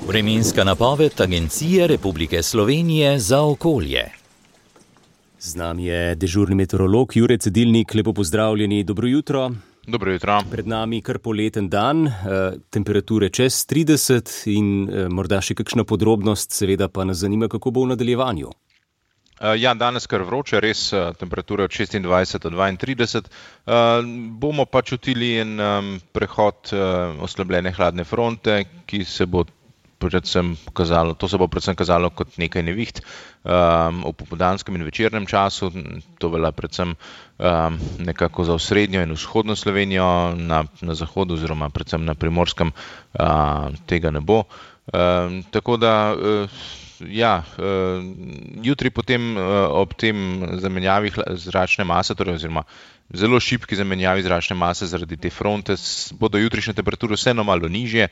Vremenska napoved Agencije Republike Slovenije za okolje. Z nami je dežurni meteorolog Jure Cedilnik. Lepo pozdravljeni, dobro jutro. Dobro jutro. Pred nami kar poleten dan, temperature čez 30 in morda še kakšna podrobnost, seveda pa nas zanima, kako bo v nadaljevanju. Ja, danes kar vroče, res temperature od 26 do 32. Bomo pa čutili en prehod oslabljene hladne fronte, ki se bo predvsem kazalo kot nekaj neviht v popoldanskem in večernem času. To velja predvsem nekako za osrednjo in vzhodno Slovenijo, na zahodu oziroma predvsem na Primorskem tega ne bo. Tako da jutri potem ob tem zamenjavi zračne mase, torej oziroma zelo šibki zamenjavi zračne mase zaradi te fronte, bodo jutrišnje temperature vseeno malo nižje,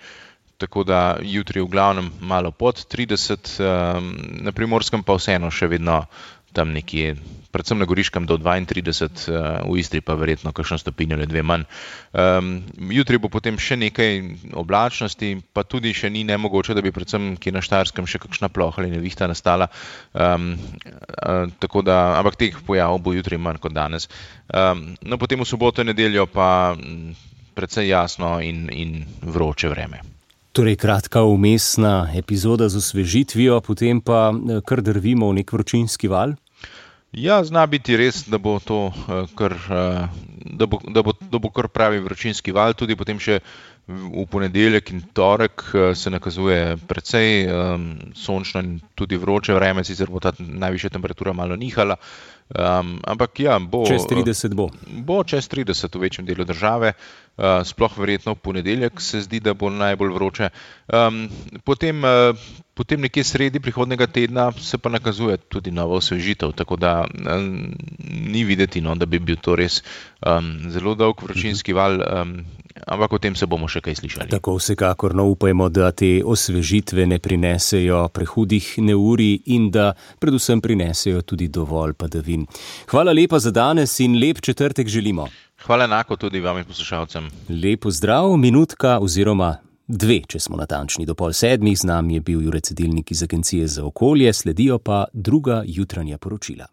tako da jutri v glavnem malo pod 30, na Primorskem pa vseeno še vedno tam nekje, predvsem na Goriškem do 32, v Istri pa verjetno kakšno stopinjo ali dve manj. Jutri bo potem še nekaj oblačnosti, pa tudi še ni nemogoče, da bi predvsem kje na Štajerskem še kakšna ploha ali nevihta nastala. Tako da, ampak teh pojavov bo jutri manj kot danes. No, potem v soboto in nedeljo pa precej jasno in vroče vreme. Torej kratka vmesna epizoda z osvežitvijo, potem pa kar drvimo v nek vročinski val? Ja, zna biti res, da bo to da bo kar pravi vročinski val, tudi potem še v ponedeljek in torek se nakazuje precej sončno in tudi vroče vreme, sicer bo ta najvišja temperatura malo nihala, ampak ja, bo čez 30 bo. Bo čez 30 v večjem delu države, sploh verjetno v ponedeljek se zdi, da bo najbolj vroče. Potem nekje sredi prihodnega tedna se pa nakazuje tudi nova osvežitev, tako da ni videti, da bi bil to res zelo dolg vročinski val, ampak o tem se bomo še kaj slišali. Tako vsekakor, upajmo, da te osvežitve ne prinesejo prehudih neurij in da predvsem prinesejo tudi dovolj padavin. Hvala lepa za danes in lep četrtek želimo. Hvala enako tudi vam in poslušalcem. Lep pozdrav, minutka oziroma 2, če smo natančni, do 6:30. Z nami je bil Jure Cedilnik iz Agencije za okolje, sledijo pa druga jutranja poročila.